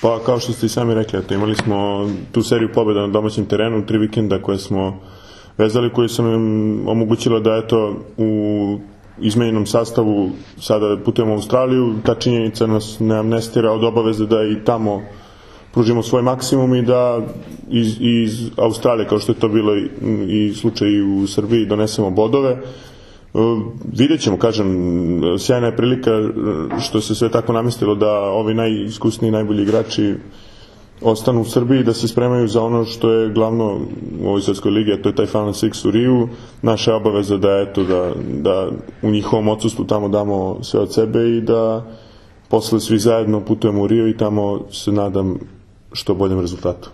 Pa kao što ste i sami rekli, imali smo tu seriju pobjeda na domaćem terenu, 3 vikenda koje smo vezali, koji su nam omogućilo da u izmenjenom sastavu sada putujemo u Australiju. Ta činjenica nas ne amnestira od obaveze da i tamo pružimo svoj maksimum i da iz Australije, kao što je to bilo i slučaj u Srbiji, donesemo bodove. Vidjet ćemo, kažem, sjajna je prilika što se sve tako namestilo da ovi najiskusniji, najbolji igrači ostanu u Srbiji, da se spremaju za ono što je glavno u ovoj svetskoj ligi, a to je taj Final Six u Riju. Naša je obaveza da u njihovom odsustvu tamo damo sve od sebe i da posle svi zajedno putujemo u Rio i tamo se nadam što boljem rezultatu.